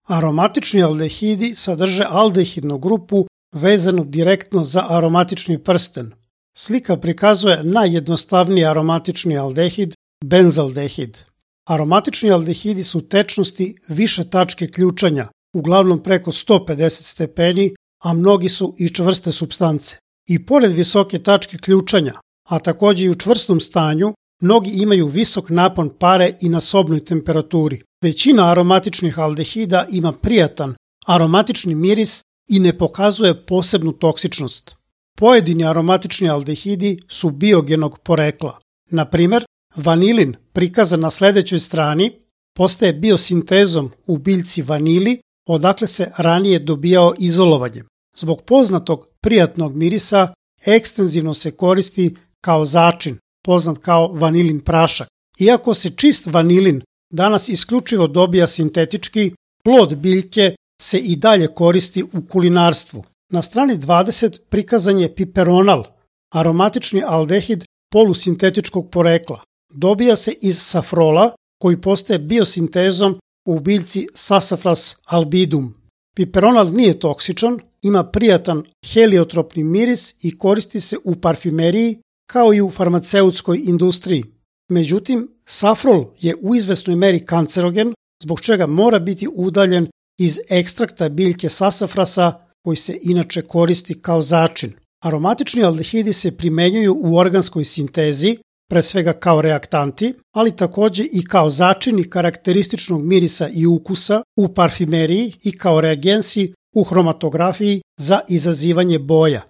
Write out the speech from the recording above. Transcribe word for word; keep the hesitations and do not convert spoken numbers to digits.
Aromatični aldehidi sadrže aldehidnu grupu vezanu direktno za aromatični prsten. Slika prikazuje najjednostavniji aromatični aldehid, benzaldehid. Aromatični aldehidi su tečnosti više tačke ključanja, uglavnom preko sto pedeset stepeni, a mnogi su i čvrste supstance. I pored visoke tačke ključanja, a takođe i u čvrstom stanju, mnogi imaju visok napon pare i na sobnoj temperaturi. Većina aromatičnih aldehida ima prijatan aromatični miris i ne pokazuje posebnu toksičnost. Pojedini aromatični aldehidi su biogenog porekla. Na primer, vanilin, prikazan na sledećoj strani, postaje biosintezom u biljci vanili, odakle se ranije dobijao izolovanjem. Zbog poznatog prijatnog mirisa, ekstenzivno se koristi kao začin, poznat kao vanilin prašak. Iako se čist vanilin danas isključivo dobija sintetički, plod biljke se i dalje koristi u kulinarstvu. Na strani dvadeset prikazan je piperonal, aromatični aldehid polusintetičkog porekla. Dobija se iz safrola koji postaje biosintezom u biljci Sassafras albidum. Piperonal nije toksičan, ima prijatan heliotropni miris i koristi se u parfimeriji kao i u farmaceutskoj industriji. Međutim, safrol je u izvesnoj meri kancerogen, zbog čega mora biti udaljen iz ekstrakta biljke sasafrasa koji se inače koristi kao začin. Aromatični aldehidi se primenjuju u organskoj sintezi, pre svega kao reaktanti, ali takođe i kao začini karakterističnog mirisa i ukusa u parfimeriji i kao reagensi u hromatografiji za izazivanje boja.